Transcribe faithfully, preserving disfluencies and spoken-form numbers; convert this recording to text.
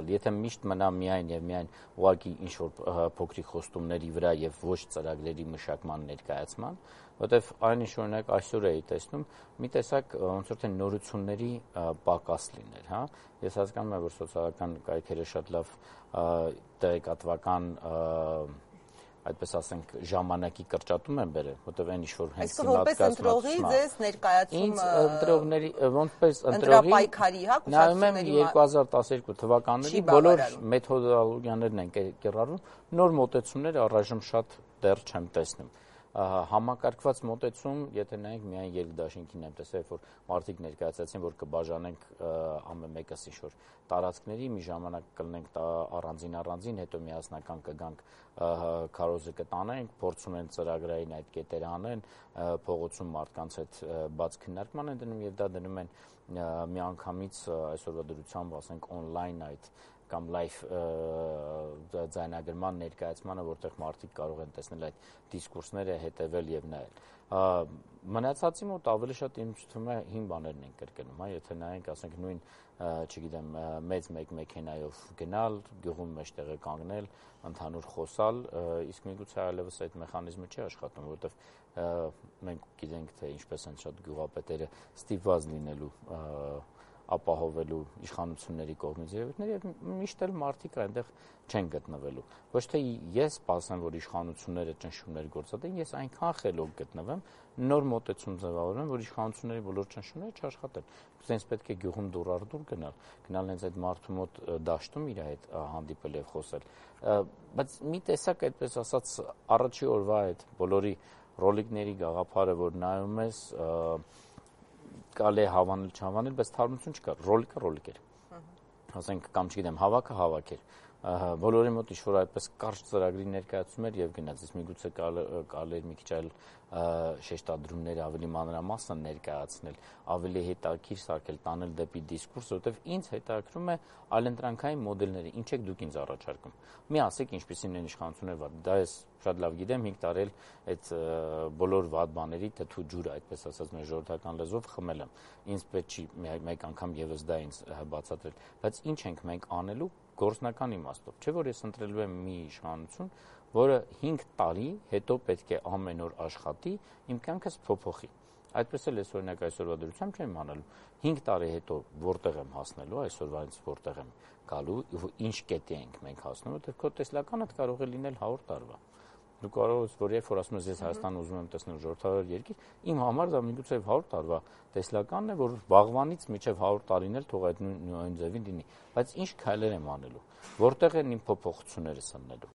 կատարել։ Եթե միշտ մնա միայն եւ միայն ուղղակի ինչ-որ փոքրիկ խոստումների վրա եւ ոչ ծրագրերի մշակման ներկայացման, որտեվ այն ինչ օրինակ այսօր էի տեսնում, մի տեսակ ոնց որ թե նորությունների պակաս լիներ, հա։ Ես հասկանում եմ, որ սոցիալական կայքերը շատ լավ տեղեկատվական այդպես ասենք ժամանակի կրճատում են բերել, որտեղ այն ինչ-որ հենց սնատկացված ընտրողի ձեզ ներկայացումը ինձ ընտրողների ոնցպես ընտրողի նայում եմ երկու հազար տասներկու թվականների բոլոր մեթոդոլոգիաներն են կիրառվում, նոր մոտեցումներ առայժմ շատ դեռ չեմ տեսնում։ Համակարգված մոտեցում, եթե նայենք միայն երկդաշինքին եմ տեսել, որ մարդիկ ներկայացրեցին, որ կբաժանենք ամեն մեկս ինչ-որ տարածքների, մի ժամանակ կլինենք առանձին-առանձին, հետո միասնական կգանք քարոզը կտանենք, փորձում են ծրագրային այդ կետերը անեն, փողոցում մարդկանց հետ բաց քննարկման են դնում եւ դա դնում են միանգամից այսօրվա դրությամբ, ասենք, on-line այդ կամ լայվ ձայնագրման ներկայացմանը, որտեղ մարդիկ կարող են տեսնել այդ դիսկուրսները, հետևել եւ նայել։ Մնացածի մոտ ավելի շատ ինձ թվում է հին բաներն են կրկնում, հա, եթե նայենք, ասենք, նույն, չգիտեմ, մեծ մեկ մեքենայով գնալ, գյուղում մեջտեղը կանգնել, ընդհանուր խոսալ, իսկ միգուցե այլևս այդ մեխանիզմը չի աշխատում, որովհետեւ մենք գիտենք, թե ինչպես են շատ գյուղապետերը ստիպված լինելու ապահովելու իշխանությունների կողմից երևույթներ եւ միշտ էլ մարդիկ այնտեղ չեն գտնվելու։ Ոչ թե ես սպասեմ, որ իշխանությունները ճնշումներ գործադրեն, ես այնքան խելոք գտնվեմ, նոր մոտեցում ձևավորեմ, որ իշխանությունների բոլոր ճնշումները չաշխատեն։ Սենց պետք է գյուղում դուր առ դուր գնալ, գնալ հենց այդ մարդու մոտ դաշտում իր հետ հանդիպել եւ խոսել։ Բայց մի տեսակ այդպես ասած առաջի օրվա այդ բոլորի ռոլիկների գաղափարը, որ նայում ես կարելի է հավանել, չհավանել, բայց թարմություն չկա, ռոլիկը ռոլիկ էր, ասենք, կամ չգիտեմ, հավաքը հավաք էր, բոլորի մոտ ինչ-որ այդպես կարճ ծրագրի ներկայացում էր եւ գնաց, իսկ միգուցե կարելի էր մի քիչ այլ շեշտադրումներ ավելի մանրամասն ներկայացնել, ավելի հետաքրքիր սարքել, տանել դեպի դիսկուրս, որովհետեւ ինձ հետաքրքրում է այլընտրանքային մոդելները, ինչ եք դուք ինձ առաջարկում։ Մի ասեք, ինչպիսին են իշխանությունները վատ, դա ես շատ լավ գիտեմ, հինգ տարի էլ այդ բոլոր վատ բաների թթու ջուրը, այդպես ասած, մեր ժողովրդական լեզվով խմել եմ։ Ինձ պետք չի մեկ անգամ եւս դա ինձ բացատրել, բայց ինչ ենք մենք անելու գործնական իմաստով, չէ՞ որ ես ընտրելու եմ մի իշխանություն, որը հինգ տարի հետո պետք է ամեն օր աշխատի, իմ կյանքս փոփոխի։ Այդպես էլ ես օրինակ այսօրվա դրությամբ չեմ անելու։ հինգ տարի հետո որտեղ եմ հասնելու, այսօրվանից որտեղ եմ գալու, ինչ կետի ենք մենք հասնում, որտեղ քո տեսլականդ կարող է լինել հարյուր տարվա։ Դու կարող ես, որ երբ որ ասում ես ես Հայաստանը ուզում եմ տեսնել ժողովրդավար երկիր, իմ համար դա միգուցե հարյուր տարվա տեսլականն է, որ վաղվանից մինչև հարյուր տարին էլ թող այդ նույն ձևին լինի, բայց ինչ քայլեր եմ անելու, որտեղ են իմ փոփոխությունները սննելու։